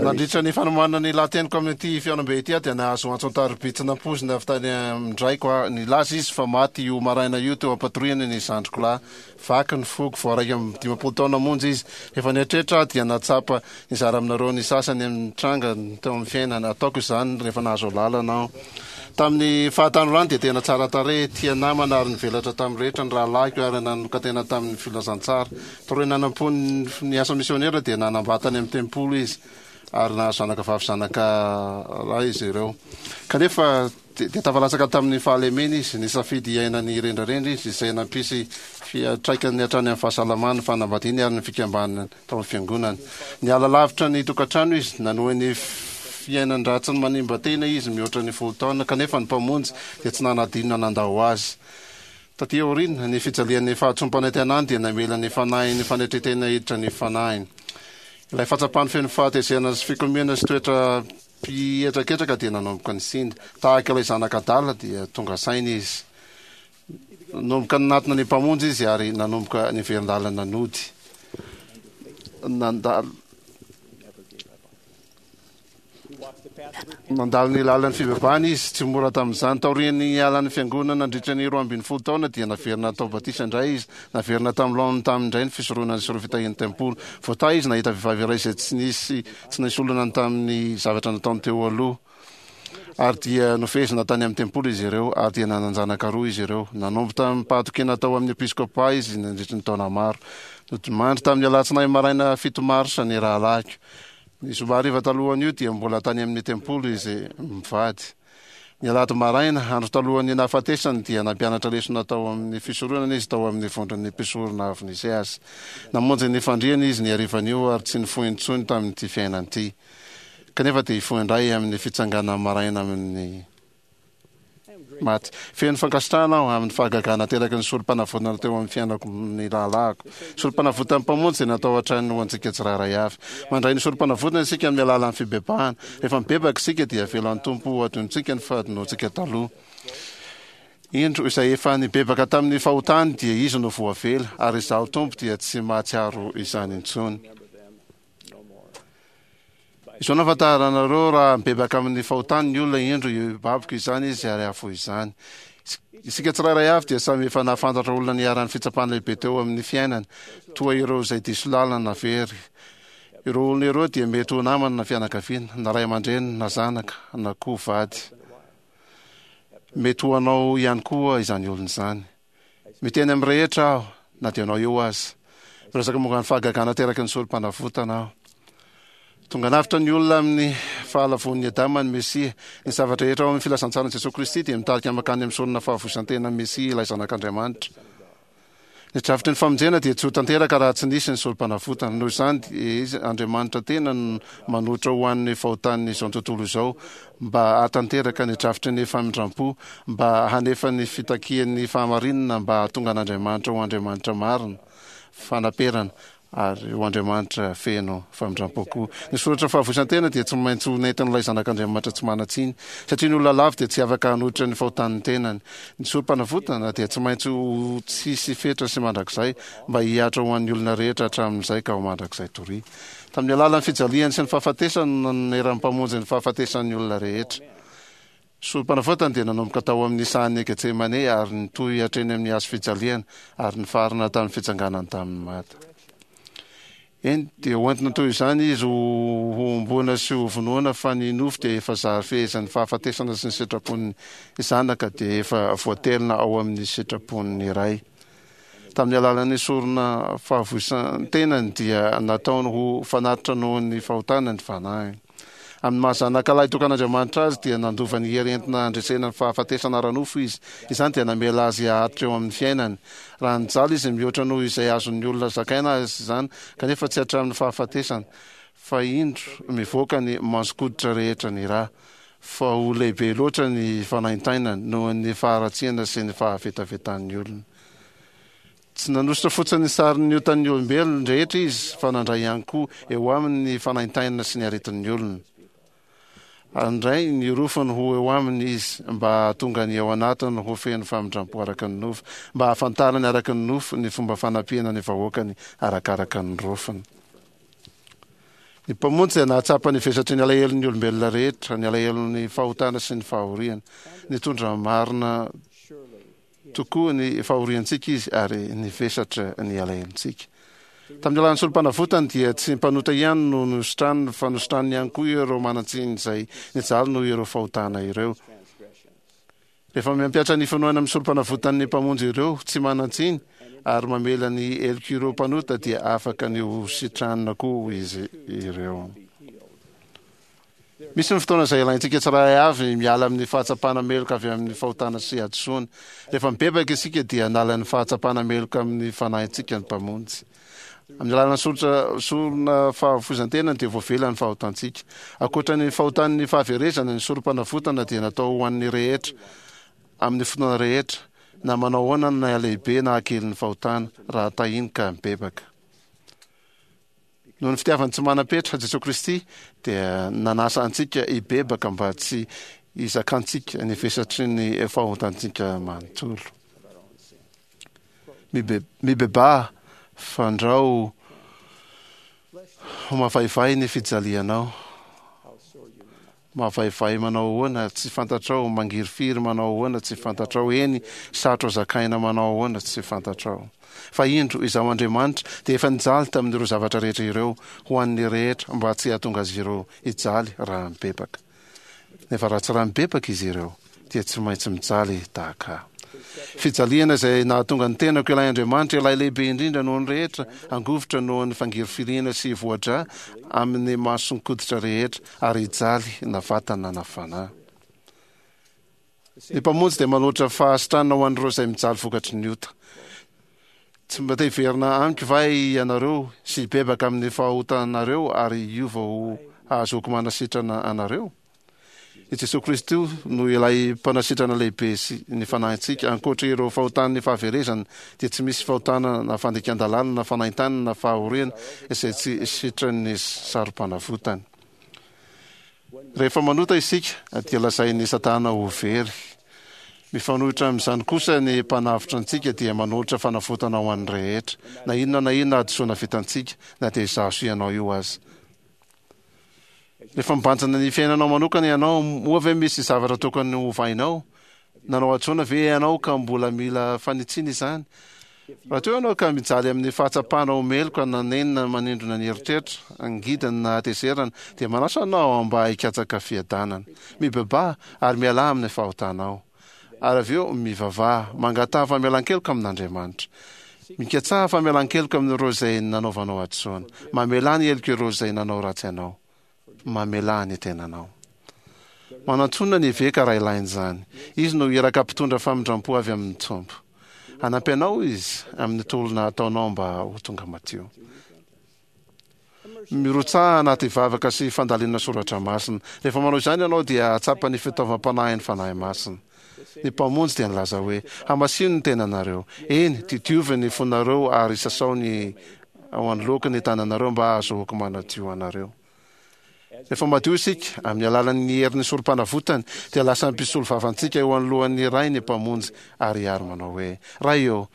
Nandritra ny fanomanana ny lahateniko amin'ity fihaonambe ity aho dia nahazo antso an-tariby tsy nampoizina avy tany amin-draiko aho. Nilaza izy fa maty io maraina io teo am-patoriana ny zandriko lahy. Vaky ny foko, vao 51 taona monja izy. Rehefa nieritreritra aho dia nahatsapa nizara aminareo ny sasany amin'ny tranga teo amin'ny fiainana. Ataoko izany rehefa nahazo alalana aho. Tamin'ny fahatanorany dia tena tsara tarehy, tia namana ary nivelatra tamin'ny rehetra ny rahalahiko ary nanokan-tena tamin'ny filazantsara. Taorian'ny nanampoany ny asa misionera dia nanambady tany amin'ny tempoly izy ary nahazo zanaka vavy zanaka lahy izy ireo. Kanefa dia tafalatsaka tamin'ny fahalemena izy, nisafidy hiaina ny rendrarendra izy izay nampisy fiantraikany hatrany amin'ny fahasalamany, ny fanambadiany ary ny fikambanany tao amin'ny fiangonana. Niala lavitra ny tokantrano izy, nanohy ny fiainan-dratsiny manimba tena izy mihoatra ny folo taona, kanefa ny Mpamonjy dia tsy nanadino na nandao azy. Taty aoriana, ny fijalian'ny fahatsoam-panantenany dia namela ny fanahin'ny fanetren-tena hiditra ny fanahiny. Ilay fahatsapany feno fahatezerana sy fikomiana sy toetra mpihetraketraka dia nanomboka nisinda. Tahaka ilay zanaka adala dia tonga saina izy. Nanomboka nanatona ny Mpamonjy izy ary nanomboka niverin-dalana nody. Nandalo Nandalo ny lalan'ny fibebahana izy, tsy mora tamin'izany. Taorian'ny nialan'ny fiangonana nandritra ny 12 taona dia naverina natao batisa indray izy. Naverina tamin'ny laoniny taminy indray ny fisoronana sy ireo fitahian'ny tempoly. Voatahy izy nahita vehivavy iray izay tsy nisy tsy nisy olana tamin'ny zavatra nataony teo aloha. Ary dia nofehezina tany amin'ny tempoly izy ireo, ary dia nanan-janaka roa izy ireo. Nanompo tamim-pahatokiana tao amin'ny episkôpà izy nandritry ny taona maro. Nodimandry tamin'ny alatsinainy maraina fito marsa ny rahalahiko. Ny zoma hariva talohan'io dia mbola tany amin'ny tempoly izy mivady. Ny alahady maraina, andro talohan'ny nahafatesany, dia nampianatra lesona tao amin'ny fisoronana izy tao amin'ny vondron'ny mpisorona avy nisy azy. Namonjy ny fandriany izy ny harivan'io ary tsy nifoha intsony tamin'ity fiainana ity. Kanefa dia hifoha indray amin'ny fitsanganana maraina amin'ny maty. Feno fankasitrahana aho amin'ny fahagagana ateraky ny sorompanavotana teo amin'ny fiainako ny rahalahiko. Sorompanavotan'ny Mpamonjy dia natao hatrany ho antsika tsirairay avy. Mandray ny sorompanavotana isika amin'ny alalan'ny fibebahana. Rehefa mibebaka isika dia avelan'ny Tompo ho adinontsika ny fahadinoantsika taloha. Indro, izay efa nibebaka tamin'ny fahotany dia izy no voavela, ary Izaho Tompo dia tsy mahatsiaro izany intsony. Izao no ahafantaranareo raha mibebaka amin'ny fahotany ny olona, indro hibaboka izany izy ary hahafoy izany. Isika tsirairay avy dia samy efa nahafantatra olona niharan'ny fitsapana lehibe teo amin'ny fiainany, toa ireo izay diso lalana na very. Ireo olona ireo dia mety ho namana na fianakaviana, na ray aman-dreny, na zanaka, na koa vady. Mety ho anao ihany koa izany olona izany. Miteny amin'ny rehetra aho, na dia anao eo aza. Miresaka momba ny fahagagana ateraky ny sorom-panavotana aho. Tonga navotra ny olona amin'ny fahalavoan'i Adama ny Mesia. Ny zava-drehetra ao amin'ny filazantsaran'i Jesoa Kristy dia mitarika mankany amin'ny sorona fahavoizan-tenan'ny Mesia, ilay Zanak'Andriamanitra. Ny drafitry ny famonjena dia tsy ho tanteraka raha tsy nisy ny sorompanavotana. Noho izany, dia Izy, Andriamanitra tena, no manoatra ho an'ny fahotan'izao tontolo izao, mba hahatanteraka ny drafitry ny famindram-po, mba hanefa ny fitakian'ny fahamarinana, mba hahatonga an'Andriamanitra ho Andriamanitra marina, fanaperana, ary ho Andriamanitra feno famindram-po koa. Ny soratra fahavoizan-tena dia tsy maintsy ho nentin'ilay Zanak'Andriamanitra tsy manan-tsiny, satria ny olona lavo dia tsy afaka hanohitra ny fahotan'ny tenany. Ny sorom-panavotana dia tsy maintsy ho tsisy fetra sy mandrakizay, mba hihatra ho an'ny olona rehetra hatramin'izay ka ho mandrakizay doria. Tamin'ny alalan'ny fijaliany sy ny fahafatesany no nanoneran'ny Mpamonjy ny fahafatesan'ny olona rehetra. Sorom-panavotana dia nanomboka tao amin'ny sahan'i Getsemane ary nitohy hatreny amin'ny hazo fijaliana ary nifarana tamin'ny fitsanganany tamin'ny maty. Eny, dia hoentina toy izany izy ho hohomboana sy hovonoina fa ny nofo dia efa zary fehezan'ny fahafatesana sy ny sitrapon'ny Zanaka dia efa voatelina ao amin'ny sitrapon'ny Ray. Tamin'ny alalan'ny sorona fahavoisan-tenany dia nataony ho fanatitra noho ny fahotana ny fanahiny. Amin'ny maha zanaka lahy tokan'Andriamanitra azy dia nandova ny hery entina handresena ny fahafatesana ara-nofo izy. Izany dia namela azy haharitra eo amin'ny fiainany. Raha nijaly izy mihoatra noho izay azon'ny olona zakaina aza izany, kanefa tsy hatramin'ny fahafatesana, fa indro mivoaka ny mason-koditra rehetra ny ra. Fa ho lehibe loatra ny fanaintainany noho ny faharatsiana sy ny fahavetavetan'ny olona. Tsy nanosotra fotsiny ny sarin'ny otan'ny olombelona rehetra izy, fa nandray ihany koa eo aminy ny fanaintainana sy ny aretin'ny olona. Handray ny rofiny ho eo aminy izy, mba hahatonga ny ao anatiny ho feno famindram-po araka ny nofo, mba hahafantarany araka ny nofo ny fomba fanampiana ny vahoakany arakaraka ny rofiny. Ny Mpamonjy dia nahatsapa ny vesatry ny alahelon'ny olombelona rehetra, ny alahelon'ny fahotana sy ny fahoriana. Nitondra marina tokoa ny fahoriantsika Izy ary nivesatra ny alahelontsika. Tamin'ny alalan'ny Sorompanavotany dia tsy mpanota ihany no nositraniny fa nositraniny ihany koa ireo manan-tsiny izay nijaly noho ireo fahotana ireo. Rehefa mampihatra ny finoana amin'ny Sorompanavotan'ny Mpamonjy ireo tsy manan-tsiny ary mamela ny helok'ireo mpanota dia afaka ny ho sitranina koa izy ireo. Misy ny fotoana izay ilaintsika tsirairay avy miala amin'ny fahatsapana meloka avy amin'ny fahotana sy hadisoana. Rehefa mibebaka isika dia hanala ny fahatsapana meloka amin'ny fanahintsika ny Mpamonjy. Amin'ny alalan'ny soritra sorona fahafoizan-tena dia voavela ny fahotantsika. Ankoatra ny fahotan'ny fahaverezana, ny sorom-panavotana dia natao ho an'ny rehetra, amin'ny fotoana rehetra, na manao ahoana na halehibe na hakelin'ny fahotana, raha tahiny ka mibebaka. Noho ny fitiavany tsy manam-petra, Jesoa Kristy dia nanasa antsika hibebaka mba tsy hizakantsika ny vesatry ny fahotantsika manontolo. Mibebaha fandrao ho mavaivay ny fijalianao. Mavaivay manao ahoana tsy fantatrao, mangirifiry manao ahoana tsy fantatrao, eny, sarotra zakaina manao ahoana tsy fantatrao. Fa indro, Izaho Andriamanitra dia efa nijaly tamin'ireo zavatra rehetra ireo ho an'ny rehetra mba tsy hahatonga azy ireo hijaly raha mibebaka. Nefa raha tsy raha mibebaka izy ireo, dia tsy maintsy mijaly tahaka ahy. Fijaliana izay nahatonga ny tenako ilay Andriamanitra, ilay lehibe indrindra noho ny rehetra, hangovitra noho ny fangirifiriana sy hivoa-drà amin'ny mason-koditra rehetra, ary hijaly na vatana na fanahy. Ny Mpamonjy dia manolotra fahasitranana ho an'ireo izay mijaly vokatry ny ota. Tsy mba te hiverina amiko va ianareo sy hibebaka amin'ny fahotanareo ary hiova ho hahazoako manasitrana anareo? I Jesoa Kristy no ilay Mpanasitrana lehibe sy ny fanahintsika. Ankoatra ireo fahotan'ny fahaverezana, dia tsy misy fahotana na fandikan-dalàna na fanaintainana na fahoriana izay tsy sitran'ny saro-panavotany. Rehefa manota isika, dia lazain'i Satana ho very. Mifanohitra amin'izany kosa, ny Mpanavotra antsika dia manolotra fanavotana ho an'ny rehetra, na inona na inona hadisoana vitantsika, na dia izaho sy ianao io aza. Rehefa mibanjina ny fiainanao manokana ianao, moa ve misy zavatra tokony hovainao? Nanao hadisoana ve ianao ka mbola mila fanitsiana izany? Raha toa ianao ka mijaly amin'ny fahatsapana ho meloka na nenina manindrona ny eritreritra, angidina na hatezerana, dia manasa anao aho mba hikatsaka fiadanana. Mibebaha ary mialà amin'ny fahotanao. Ary avy eo mivavaha, mangataha famelan-keloka amin'Andriamanitra. Mikatsaha famelan-keloka amin'ireo izay nanaovanao hadisoana. Mamelà ny helok'ireo izay nanao ratsy anao. Mamelà ny tenanao. Manantòna ny eveka raha ilaina izany. Izy no iraka mpitondra famindram-po avy amin'ny Tompo. Hanampy anao izy amin'ny tolona ataonao mba ho tonga madio. Mirotsaha anaty vavaka sy fandalinana soratra masina. Rehefa manao izany ianao dia hahatsapa ny fitaovam-panahin'ny Fanahy Masina. Ny Mpamonjy dia nilaza hoe, Hamasino ny tenanareo. Eny, didiovy ny fonareo ary sasao ny ao anoloako ny tananareo mba hahazoako manadio anareo. Rehefa madio isika, amin'ny alalan'ny herin'ny Sorompanavotany, dia lasa mpisolo vavantsika eo anoloan'ny Ray ny Mpamonjy ary ary manao hoe, Ray ô,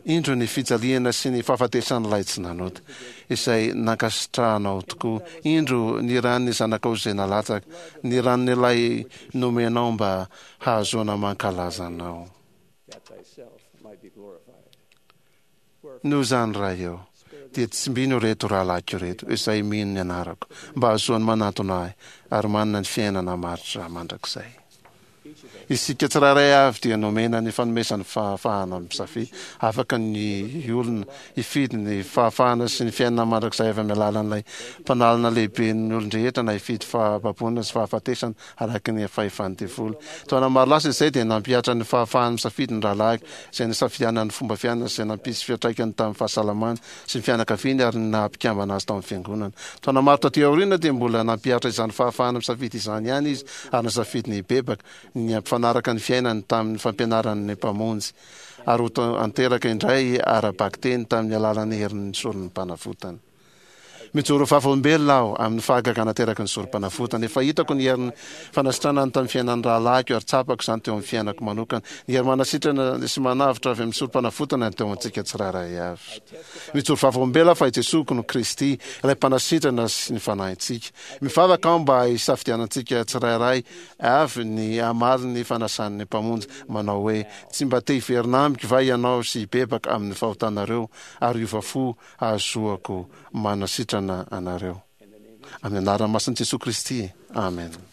indro ny fijaliana sy ny fahafatesan'ilay tsy nanota, izay nankasitrahanao tokoa. Indro ny ran'ny Zanakao izay nalatsaka, ny ran'ilay nomenao mba hahazoana mankalaza Anao. Noho izany, Ray ô, dia tsimbino ireto rahalahiko ireto, izay mino ny anarako, mba hahazoany manantona Ahy, ary manana ny fiainana maharitra mandrakizay. Isika tsirairay avy dia nomena ny fanomezan'ny fahafahana misafidy. Afaka ny olona hifidy ny fahafahana sy ny fiainana mandrakizay avy amin'ny alalan'ilay Mpanalana lehiben'ny olon-drehetra na hifidy fahababoana sy fahafatesana araka ny fahefan'ny devoly. Taona maro lasa izay dia nampihatra ny fahafahany misafidy ny rahalahiko, izay nisafidianany ny fomba fiainana izay nampisy fiantraikany tamin'ny fahasalamany sy ny fianakaviany ary ny naha-mpikambana azy tao amin'ny Fiangonana. Taona maro taty aoriana dia mbola nampihatra izany fahafahana misafidy izany ihany izy ary nisafidy ny hibebaka, ny hampifanaraka ny fiainany tamin'ny fampianaran'ny Mpamonjy, ary ho tanteraka indray ara-bakiteny tamin'ny alalan'ny herin'ny soron'ny Mpanavotana. Mijoro vavolombelona aho amin'ny fahagagana ateraky ny sorom-panavotana. Efa hitako ny herin'ny fanasitranany tamin'ny fiainan'ny rahalahiko ary tsapako izany teo amin'ny fiainako manokana. Ny hery manasitrana sy manavotra avy amin'ny sorom-panavotana no teo amintsika tsirairay avy. Mijoro vavolombelona aho fa i Jesoa no Kristy, ilay Mpanasitrana sy ny fanahintsika. Mivavaka aho mba hisafidianantsika tsirairay avy ny hamaly ny fanasan'ny Mpamonjy manao hoe, Tsy mba te hiverina amiko va ianao sy hibebaka amin'ny fahotanareo ary hiova fo hahazoako manasitrana anareo. Amin'ny anarana masin'i Jesoa Kristy, amena.